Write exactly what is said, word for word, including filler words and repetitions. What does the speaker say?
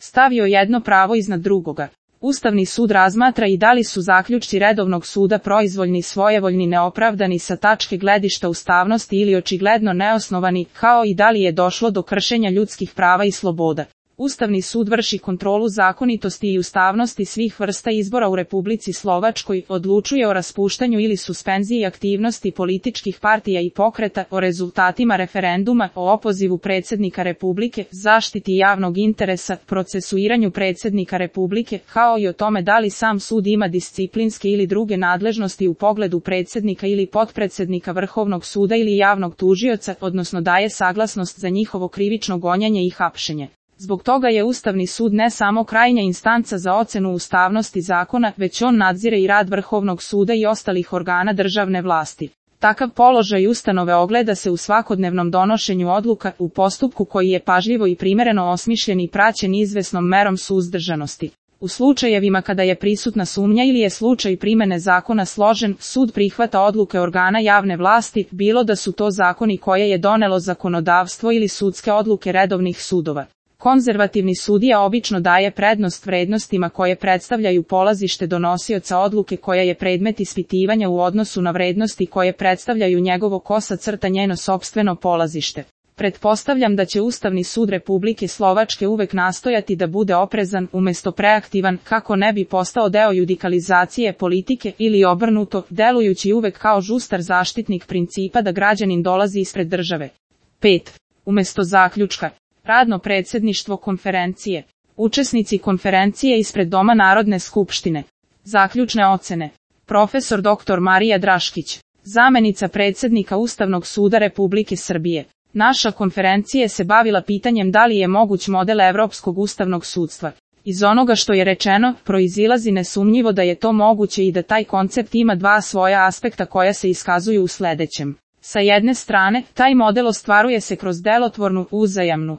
stavio jedno pravo iznad drugoga. Ustavni sud razmatra i da li su zaključci redovnog suda proizvoljni, svojevoljni, neopravdani sa tačke gledišta ustavnosti ili očigledno neosnovani, kao i da li je došlo do kršenja ljudskih prava i sloboda. Ustavni sud vrši kontrolu zakonitosti i ustavnosti svih vrsta izbora u Republici Slovačkoj, odlučuje o raspuštanju ili suspenziji aktivnosti političkih partija i pokreta, o rezultatima referenduma, o opozivu predsjednika Republike, zaštiti javnog interesa, procesuiranju predsjednika Republike, kao i o tome da li sam sud ima disciplinske ili druge nadležnosti u pogledu predsjednika ili potpredsjednika Vrhovnog suda ili javnog tužioca, odnosno daje saglasnost za njihovo krivično gonjenje i hapšenje. Zbog toga je Ustavni sud ne samo krajnja instanca za ocenu ustavnosti zakona, već on nadzire i rad Vrhovnog suda i ostalih organa državne vlasti. Takav položaj ustanove ogleda se u svakodnevnom donošenju odluka, u postupku koji je pažljivo i primereno osmišljen i praćen izvesnom merom suzdržanosti. U slučajevima kada je prisutna sumnja ili je slučaj primene zakona složen, sud prihvata odluke organa javne vlasti, bilo da su to zakoni koje je donelo zakonodavstvo ili sudske odluke redovnih sudova. Konzervativni sudija obično daje prednost vrednostima koje predstavljaju polazište donosioca odluke koja je predmet ispitivanja u odnosu na vrednosti koje predstavljaju njegovo kosa crta njeno sopstveno polazište. Pretpostavljam da će Ustavni sud Republike Slovačke uvek nastojati da bude oprezan umjesto preaktivan, kako ne bi postao deo judikalizacije politike ili obrnuto, delujući uvek kao žustar zaštitnik principa da građanin dolazi ispred države. pet. Umjesto zaključka. Radno predsjedništvo konferencije. Učesnici konferencije ispred Doma Narodne skupštine. Zaključne ocene. Profesor doktor Marija Draškić, zamenica predsjednika Ustavnog suda Republike Srbije. Naša konferencija se bavila pitanjem da li je moguć model Evropskog ustavnog sudstva. Iz onoga što je rečeno, proizilazi nesumnjivo da je to moguće i da taj koncept ima dva svoja aspekta koja se iskazuju u sljedećem. Sa jedne strane, taj model ostvaruje se kroz delotvornu, uzajamnu